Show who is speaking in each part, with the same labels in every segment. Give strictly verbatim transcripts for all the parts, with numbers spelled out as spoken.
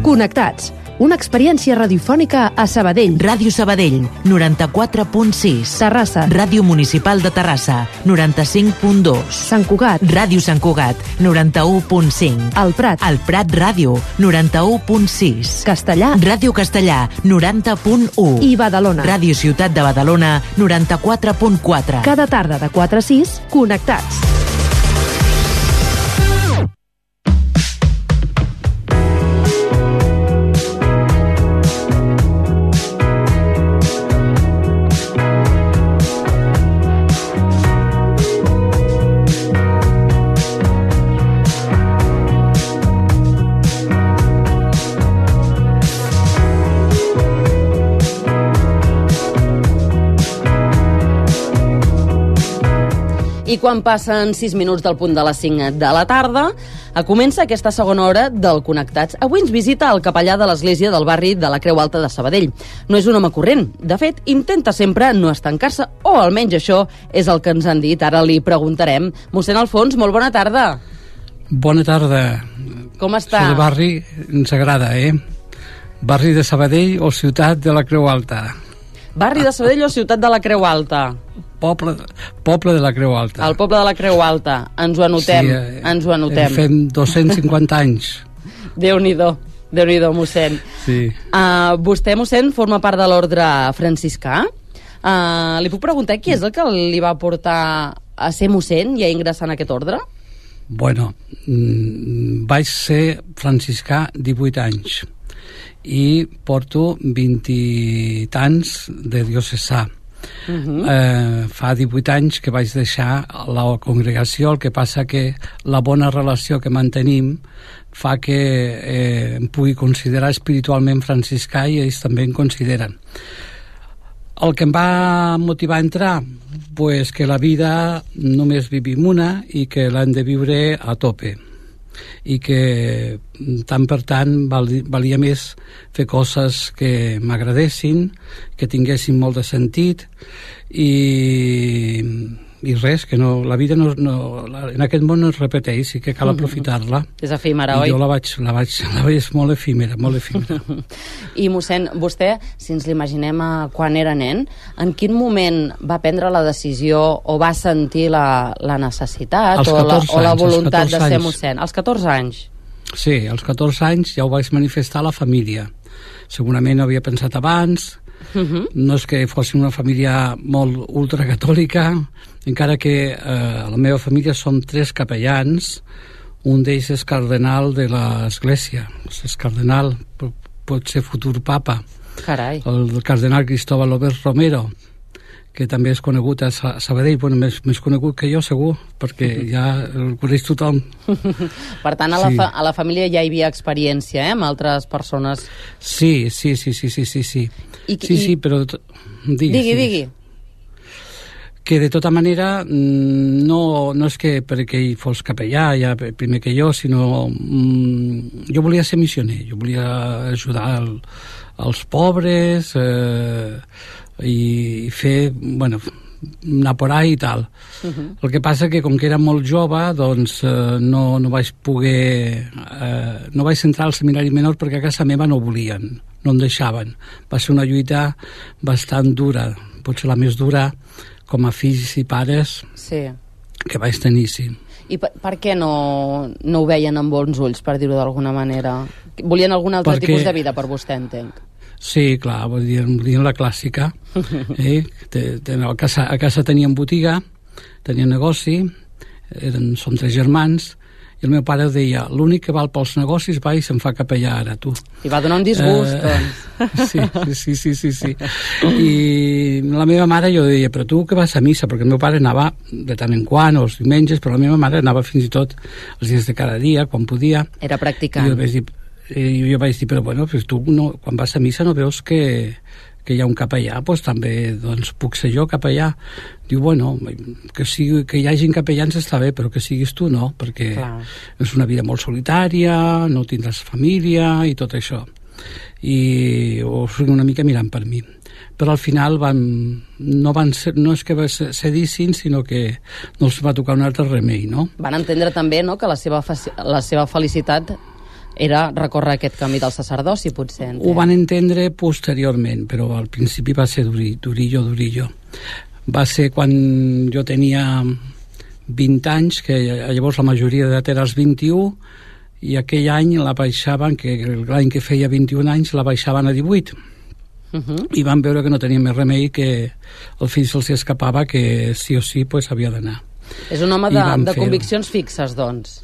Speaker 1: Connectats, una experiència radiofònica a Sabadell.
Speaker 2: Ràdio Sabadell, noranta-quatre punt sis.
Speaker 1: Terrassa.
Speaker 2: Ràdio Municipal de Terrassa, noranta-cinc punt dos.
Speaker 1: Sant Cugat.
Speaker 2: Ràdio Sant Cugat, noranta-u punt cinc.
Speaker 1: El Prat.
Speaker 2: El Prat Ràdio, noranta-u punt sis.
Speaker 1: Castellà.
Speaker 2: Ràdio Castellà, noranta punt u.
Speaker 1: I Badalona.
Speaker 2: Ràdio Ciutat de Badalona, noranta-quatre punt quatre.
Speaker 1: Cada tarda de quatre a sis, Connectats.
Speaker 3: I quan passen sis minuts del punt de les cinc de la tarda, comença aquesta segona hora del Connectats. Avui ens visita el capellà de l'església del barri de la Creu Alta de Sabadell. No és un home corrent. De fet, intenta sempre no estancar-se, o almenys això és el que ens han dit. Ara li preguntarem. Mossèn Alfons, molt bona tarda.
Speaker 4: Bona tarda.
Speaker 3: Com està?
Speaker 4: El barri ens agrada, eh? Barri de Sabadell o ciutat de la Creu Alta?
Speaker 3: Barri de Sabadell o ciutat de la Creu Alta?
Speaker 4: Poble, poble de la Creu Alta.
Speaker 3: El poble de la Creu Alta. Ens ho anotem. Sí, eh, ens ho anotem.
Speaker 4: Fem dos-cents cinquanta anys.
Speaker 3: Déu-n'hi-do. Déu-n'hi-do, mossèn.
Speaker 4: Sí.
Speaker 3: Uh, vostè, mossèn, forma part de l'ordre franciscà. Uh, li puc preguntar qui és el que li va portar a ser mossèn i a ingressar en aquest ordre?
Speaker 4: Bueno, vaig ser franciscà divuit anys i porto vint i tants de diocesà. Uh-huh. eh, fa divuit anys que vaig deixar la congregació. El que passa que la bona relació que mantenim fa que eh, em pugui considerar espiritualment franciscà i ells també em consideren. El que em va motivar a entrar, pues que la vida només vivim una i que l'hem de viure a tope, i que tant per tant valia més fer coses que m'agradessin, que tinguessin molt de sentit i, i res, que no, la vida no, no, en aquest món no es repeteix i que cal aprofitar-la.
Speaker 3: És efímera,
Speaker 4: I
Speaker 3: oi?
Speaker 4: jo la vaig, la vaig, la vaig molt efímera, molt efímera.
Speaker 3: I mossèn, vostè, si ens l'imaginem quan era nen, en quin moment va prendre la decisió o va sentir la, la necessitat o la, o la voluntat de ser mossèn? Als catorze anys?
Speaker 4: Sí, als catorze anys ja ho vaig manifestar a la família. Segurament ho havia pensat abans. Uh-huh. No és que fóssim una família molt ultracatòlica, encara que eh, a la meva família som tres capellans. Un d'ells és cardenal de l'església, és cardenal, pot ser futur papa.
Speaker 3: Carai.
Speaker 4: El cardenal Cristóbal Obert Romero, que també és conegut a Sabadell, bueno, més, més conegut que jo, segur, perquè ja el coneix tothom.
Speaker 3: Per tant, a la, sí. fa, a la família ja hi havia experiència, eh?, amb altres persones.
Speaker 4: Sí, sí, sí, sí, sí, sí, sí.
Speaker 3: I,
Speaker 4: sí,
Speaker 3: i...
Speaker 4: sí, però... Digui,
Speaker 3: digui, digui.
Speaker 4: Que de tota manera no, no és que perquè ell fos capellà ja primer que jo, sinó mm, jo volia ser missioner, jo volia ajudar el, els pobres eh, i fer, bueno, anar por ahí i tal. Uh-huh. El que passa que com que era molt jove, doncs eh, no, no vaig poder eh, no vaig entrar al seminari menor perquè a casa meva no volien, no em deixaven. Va ser una lluita bastant dura, potser la més dura com a fills i pares,
Speaker 3: sí,
Speaker 4: que vaig tenir, sí.
Speaker 3: I per, per què no, no ho veien amb bons ulls, per dir-ho d'alguna manera? Volien algun altre
Speaker 4: Perquè...
Speaker 3: tipus de vida per vostè, entenc?
Speaker 4: Sí, clar, volien, volien la clàssica. Eh? Te, te, a, casa, a casa tenien botiga, tenien negoci, eren, som tres germans, i el meu pare deia, l'únic que val pels negocis va i se'n fa capellà ara, tu.
Speaker 3: I va donar un disgust,
Speaker 4: eh,
Speaker 3: doncs.
Speaker 4: Sí, sí, sí, sí, sí. I la meva mare jo deia, però tu que vas a missa? Perquè el meu pare anava de tant en quant, els diumenges, però la meva mare anava fins i tot els dies de cada dia, quan podia.
Speaker 3: Era practicant.
Speaker 4: I jo vaig dir, i jo vaig dir però bueno, pues tu no, quan vas a missa no veus que, que hi ha un capellà, doncs també doncs, puc ser jo capellà. Diu, bueno, que, sigui, que hi hagin capellans està bé, però que siguis tu no, perquè clar, és una vida molt solitària, no tindràs família i tot això. I ho sigui una mica mirant per mi. Però al final van, no, van ser, no és que cedissin, sinó que no els va tocar un altre remei, no?
Speaker 3: Van entendre també, no?, que la seva, la seva felicitat era recórrer aquest camí del sacerdoci, potser.
Speaker 4: Ho van entendre posteriorment, però al principi va ser duri, durillo, durillo. Va ser quan jo tenia vint anys, que llavors la majoria d'edat era als vint-i-u, i aquell any la baixaven, que l'any que feia vint-i-un anys la baixaven a divuit. Uh -huh. I van veure que no tenia més remei, que el fill se'ls escapava, que sí o sí pues, havia d'anar.
Speaker 3: És un home de, de conviccions fixes, doncs.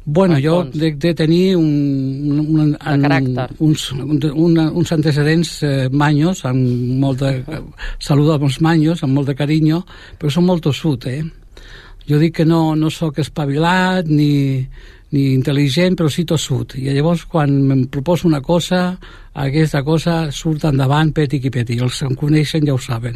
Speaker 4: Bueno, jo de, de tenir un, un, un,
Speaker 3: caràcter.
Speaker 4: uns, un, uns antecedents eh, manyos, amb molt de salut als manyos, amb molt de carinyo, però som molt tossut, eh? Jo dic que no, no sóc espavilat ni, ni intel·ligent, però sí tossut. I llavors, quan em proposo una cosa, aquesta cosa surt endavant, peti i peti. Els que em coneixen ja ho saben.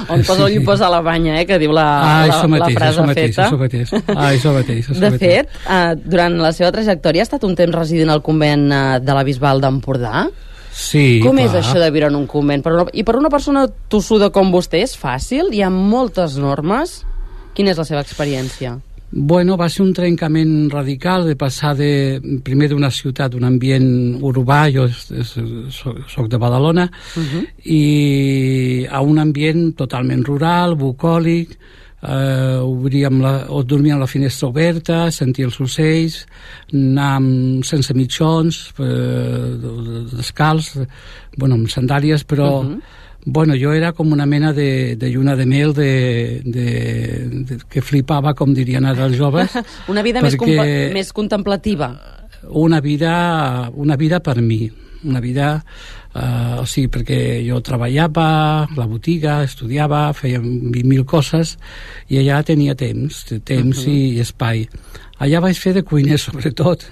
Speaker 3: On posa l'ull posa la banya, eh, que diu la,
Speaker 4: ah,
Speaker 3: la,
Speaker 4: mateix,
Speaker 3: la frase
Speaker 4: mateix,
Speaker 3: feta.
Speaker 4: Això mateix, ah, això mateix. Això
Speaker 3: de
Speaker 4: mateix.
Speaker 3: fet, eh, durant la seva trajectòria ha estat un temps residint al convent eh, de la Bisbal d'Empordà?
Speaker 4: Sí,
Speaker 3: Com
Speaker 4: clar.
Speaker 3: és això de viure en un convent? Per una, I per una persona tossuda com vostè és fàcil? Hi ha moltes normes? Quina és la seva experiència?
Speaker 4: Bueno, va ser un trencament radical de passar de, primer d'una ciutat, d'un ambient urbà, jo soc, soc de Badalona, uh-huh. i a un ambient totalment rural, bucòlic, eh, obríem la, o dormia amb la finestra oberta, sentia els ocells, anar amb, sense mitjons, eh, descalç, bueno, amb sandàlies, però... Uh-huh. Bueno, jo era com una mena de, de lluna de mel de, de, de, que flipava, com dirien ara els joves.
Speaker 3: Una vida més, més contemplativa.
Speaker 4: Una vida, una vida per mi. Una vida, eh, o sigui, perquè jo treballava a la botiga, estudiava, feia vint mil coses, i allà tenia temps, temps uh-huh. i, i espai. Allà vaig fer de cuiner, sobretot,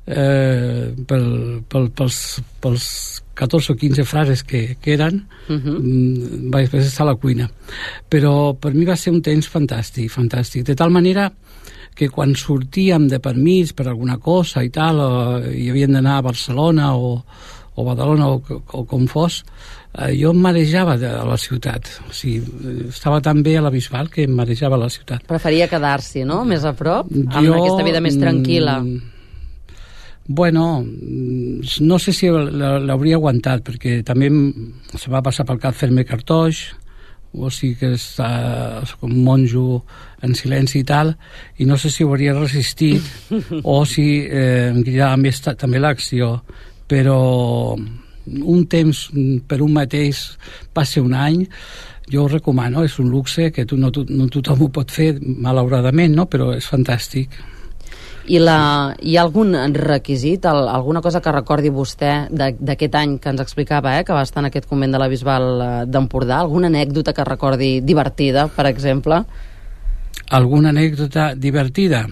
Speaker 4: eh, pel, pel, pels, pels catorze o quinze frases que, que eren, uh-huh. vaig estar a la cuina. Però per mi va ser un temps fantàstic, fantàstic. De tal manera que quan sortíem de permís per alguna cosa i tal, o, i havien d'anar a Barcelona o, o Badalona o, o com fos, eh, jo em marejava de la ciutat. O sigui, estava tan bé a la Bisbal que em marejava a la ciutat.
Speaker 3: Preferia quedar-s'hi, no?, més a prop, amb
Speaker 4: jo,
Speaker 3: aquesta vida més tranquil·la.
Speaker 4: Bueno, no sé si l'hauria aguantat, perquè també se va passar pel cap fer-me cartoix, o sigui que està com un monjo en silenci i tal, i no sé si ho hauria resistit o si eh, em cridava més també l'acció, però un temps per un mateix va ser un any. Jo ho recomano, és un luxe que tu, no, no tothom ho pot fer, malauradament, no? Però és fantàstic.
Speaker 3: I la, hi ha algun requisit, el, alguna cosa que recordi vostè d'aquest any que ens explicava, eh, que va estar en aquest convent de la Bisbal d'Empordà? Alguna anècdota que recordi divertida, per exemple?
Speaker 4: Alguna anècdota divertida?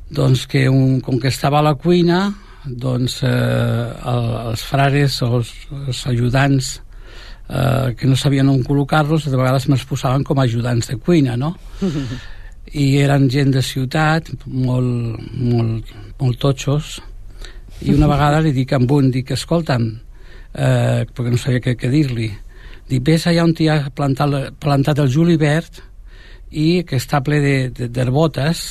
Speaker 4: Doncs que un, com que estava a la cuina, doncs eh, el, els frares o els, els ajudants eh, que no sabien on col·locar-los, de vegades me'ls posaven com a ajudants de cuina, no? I eren gent de ciutat, molt, molt, molt totxos, i una vegada li dic a un, dic, escolta'm, eh, perquè no sabia què, què dir-li, dic, ves allà on t'hi ha plantat, plantat el julivert i que està ple d'herbotes,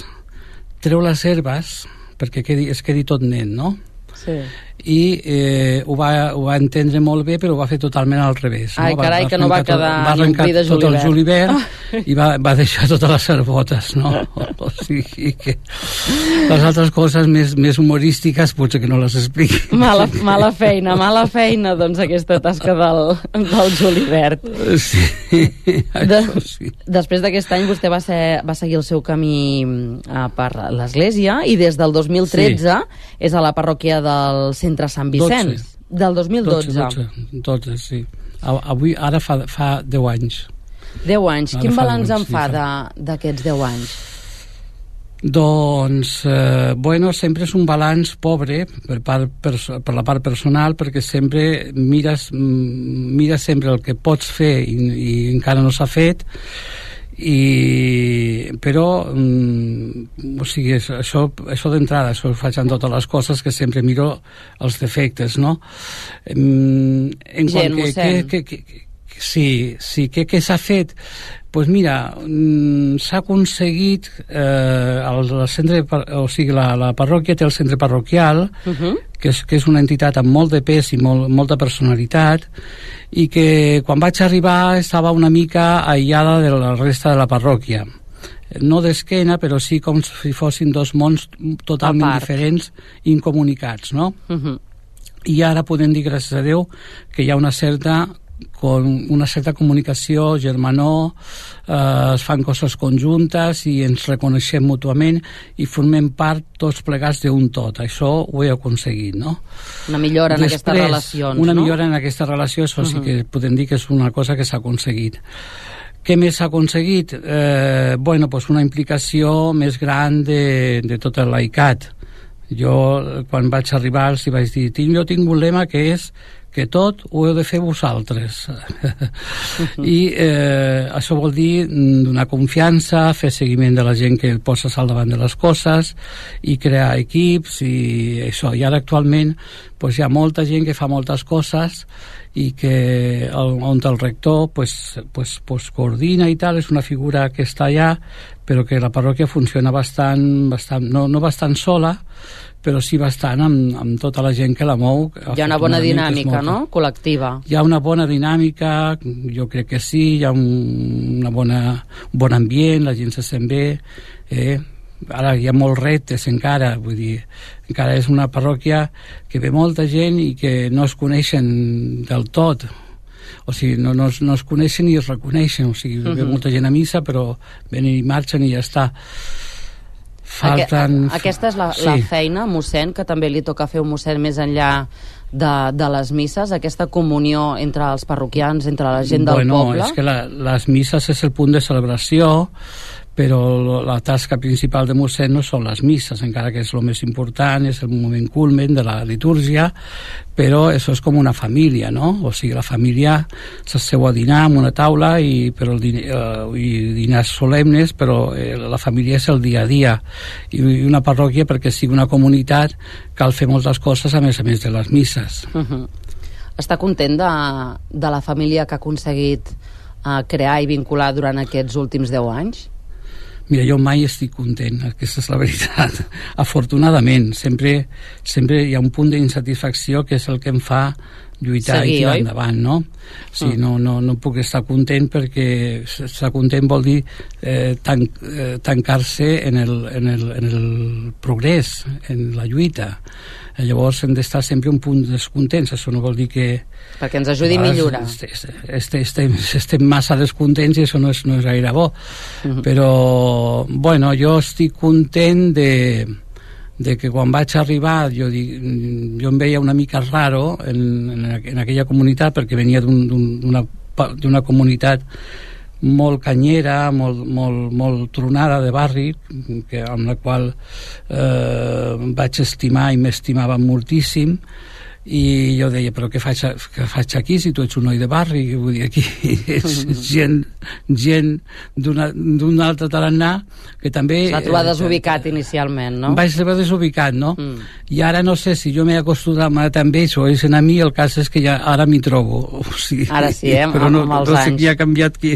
Speaker 4: treu les herbes perquè quedi, es quedi tot net, no?
Speaker 3: Sí.
Speaker 4: I eh, ho, va, ho va entendre molt bé, però ho va fer totalment al revés.
Speaker 3: Ai,
Speaker 4: no?
Speaker 3: carai,
Speaker 4: va, va
Speaker 3: que no va quedar
Speaker 4: va
Speaker 3: ni un pli de
Speaker 4: tot el julivert
Speaker 3: oh.
Speaker 4: i va, va deixar totes les herbotes, no? O sigui que les altres coses més, més humorístiques potser que no les expliqui.
Speaker 3: Mala, mala feina, mala feina, doncs, aquesta tasca del, del julivert.
Speaker 4: Sí,
Speaker 3: de,
Speaker 4: això sí.
Speaker 3: Després d'aquest any vostè va, ser, va seguir el seu camí uh, per l'Església i des del dos mil tretze sí. és a la parròquia del Centre Sant Vicenç.
Speaker 4: dotze.
Speaker 3: Del dos mil dotze.
Speaker 4: dotze, dotze, sí. Avui, ara fa, fa deu anys.
Speaker 3: deu anys.
Speaker 4: Ara
Speaker 3: Quin balanç en
Speaker 4: sí,
Speaker 3: fa
Speaker 4: fa...
Speaker 3: d'aquests deu anys?
Speaker 4: Doncs, eh, bueno, sempre és un balanç pobre per, part, per, per la part personal, perquè sempre mires, mires sempre el que pots fer i, i encara no s'ha fet, i però mm, o sigui, això, això d'entrada, això ho faig en totes les coses, que sempre miro els defectes, no? En
Speaker 3: Gent,
Speaker 4: que, que, que, que, sí, sí, què que s'ha fet? pues mira, s'ha aconseguit eh, el, el centre, o sigui, la, la parròquia té el centre parroquial, uh-huh. que, és, que és una entitat amb molt de pes i molt, molta personalitat, i que quan vaig arribar estava una mica aïllada de la resta de la parròquia. No d'esquena, però sí com si fossin dos mons totalment diferents, incomunicats, no? Uh-huh. I ara podem dir, gràcies a Déu, que hi ha una certa con una certa comunicació, germanor, eh, es fan coses conjuntes i ens reconeixem mútuament i formem part tots plegats d'un tot. Això ho he aconseguit, no?
Speaker 3: Una millora en
Speaker 4: Després,
Speaker 3: aquestes relacions,
Speaker 4: una
Speaker 3: no?
Speaker 4: Una millora en aquesta relació, això uh-huh. sí que podem dir que és una cosa que s'ha aconseguit. Què més s'ha aconseguit? Eh, bueno, pues una implicació més gran de, de tot el laicat. Jo, quan vaig arribar, els vaig dir, jo tinc un lema que és que tot ho heu de fer vosaltres. Uh-huh. I eh, això vol dir donar confiança, fer seguiment de la gent que poses al davant de les coses i crear equips i això. I ara actualment pues, hi ha molta gent que fa moltes coses i que el, on el rector pues, pues, pues, coordina i tal, és una figura que està allà, però que la parròquia funciona bastant, bastant no, no bastant sola, però sí bastant amb, amb tota la gent que la mou.
Speaker 3: Hi ha una bona dinàmica, no?, col·lectiva.
Speaker 4: Hi ha una bona dinàmica, jo crec que sí, hi ha un, una bona, un bon ambient, la gent se sent bé, eh? Ara hi ha molts reptes encara, vull dir, encara és una parròquia que ve molta gent i que no es coneixen del tot, o sigui, no, no, no es coneixen i es reconeixen, o sigui, uh-huh. ve molta gent a missa però venen i marxen i ja està. Falten...
Speaker 3: Aquesta és la, sí. la feina, mossèn, que també li toca fer un mossèn més enllà de, de les misses, aquesta comunió entre els parroquians, entre la gent del
Speaker 4: bueno,
Speaker 3: poble?
Speaker 4: Bueno, és que la, les misses és el punt de celebració, però la tasca principal de mossèn no són les misses, encara que és el més important, és el moment culmen de la litúrgia, però això és com una família, no? O sigui, la família s'asseu a dinar en una taula i, però el din eh, i dinars solemnes, però eh, la família és el dia a dia. I una parròquia, perquè sigui una comunitat, cal fer moltes coses a més a més de les misses.
Speaker 3: Uh-huh. Està content de, de la família que ha aconseguit eh, crear i vincular durant aquests últims deu anys?
Speaker 4: Mira, jo mai estic content, aquesta és la veritat. Afortunadament, sempre, sempre hi ha un punt d'insatisfacció que és el que em fa lluitar Seguir, i tirar oi? endavant, no? Sí, mm. no, no, no puc estar content perquè estar content vol dir eh, tan, eh, tancar-se en el, en, el, en el progrés, en la lluita. Llavors hem d'estar sempre un punt descontents, això no vol dir que...
Speaker 3: Perquè ens ajudi a millorar.
Speaker 4: Estem, estem, estem massa descontents i això no és, no és gaire bo. Uh-huh. Però, bueno, jo estic content de, de que quan vaig arribar jo, dic, jo em veia una mica raro en, en, en aquella comunitat perquè venia d'una d'una comunitat molt canyera, molt, molt, molt tronada de barri, que, amb la qual eh, vaig estimar i m'estimava moltíssim, i jo deia, però què faig, què faig aquí si tu ets un noi de barri? Vull dir, aquí és gent, gent d'un altre tarannà que també...
Speaker 3: S'ha trobat desubicat inicialment, no?
Speaker 4: Vaig trobar desubicat, no? Mm. I ara no sé si jo m'he acostumat amb ells o ells a mi, el cas és que ja ara m'hi trobo. O sigui,
Speaker 3: ara sí, eh?
Speaker 4: Però no,
Speaker 3: amb els
Speaker 4: no sé
Speaker 3: anys.
Speaker 4: qui ha canviat qui...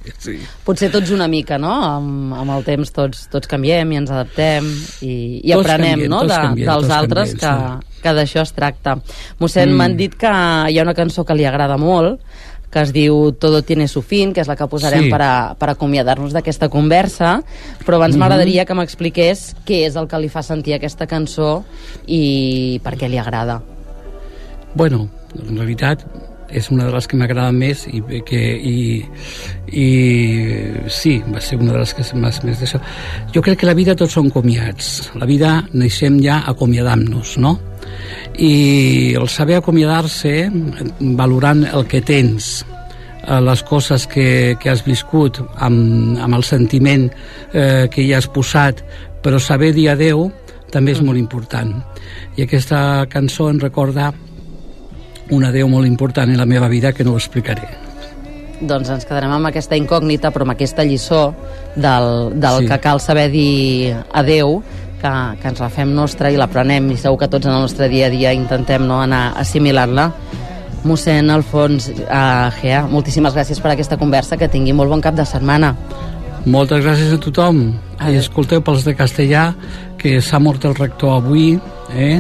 Speaker 4: Sí.
Speaker 3: Potser tots una mica, no? Amb, amb el temps tots, tots canviem i ens adaptem i, i
Speaker 4: tots
Speaker 3: aprenem,
Speaker 4: canviem,
Speaker 3: no? De,
Speaker 4: canviem,
Speaker 3: dels altres
Speaker 4: canviem,
Speaker 3: que...
Speaker 4: Sí.
Speaker 3: que d'això es tracta. Mossèn, mm. m'han dit que hi ha una cançó que li agrada molt, que es diu Todo tiene su fin, que és la que posarem sí. per, a, per acomiadar-nos d'aquesta conversa, però abans mm-hmm. m'agradaria que m'expliqués què és el que li fa sentir aquesta cançó i per què li agrada.
Speaker 4: Bueno, en realitat és una de les que m'agrada més i, que, i, i sí, va ser una de les que més, més d'això. Jo crec que la vida tots són comiats. La vida neixem ja acomiadant-nos, no? I el saber acomiadar-se valorant el que tens, les coses que, que has viscut amb, amb el sentiment eh, que hi has posat, però saber dir adeu també és molt important. I aquesta cançó em recorda un adeu molt important en la meva vida que no ho explicaré.
Speaker 3: Doncs ens quedarem amb aquesta incògnita, però amb aquesta lliçó del, del sí. que cal saber dir adeu, que, que ens la fem nostra i l'aprenem, i segur que tots en el nostre dia a dia intentem no anar assimilant-la. Mossèn Alfons uh, Gea, moltíssimes gràcies per aquesta conversa, que tingui molt bon cap de setmana.
Speaker 4: Moltes gràcies a tothom. I escolteu pels de Castellà, que s'ha mort el rector avui, eh?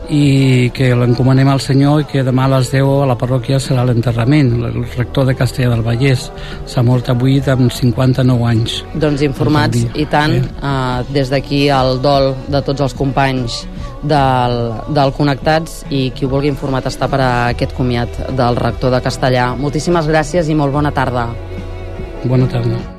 Speaker 4: I que l'encomanem al Senyor, i que demà a les deu a la parròquia serà l'enterrament. El rector de Castellà del Vallès s'ha mort avui amb cinquanta-nou anys.
Speaker 3: Doncs informats, i tant, eh, des d'aquí el dol de tots els companys del, del Connectats, i qui ho vulgui informat està per a aquest comiat del rector de Castellà. Moltíssimes gràcies i molt bona tarda.
Speaker 4: Bona tarda.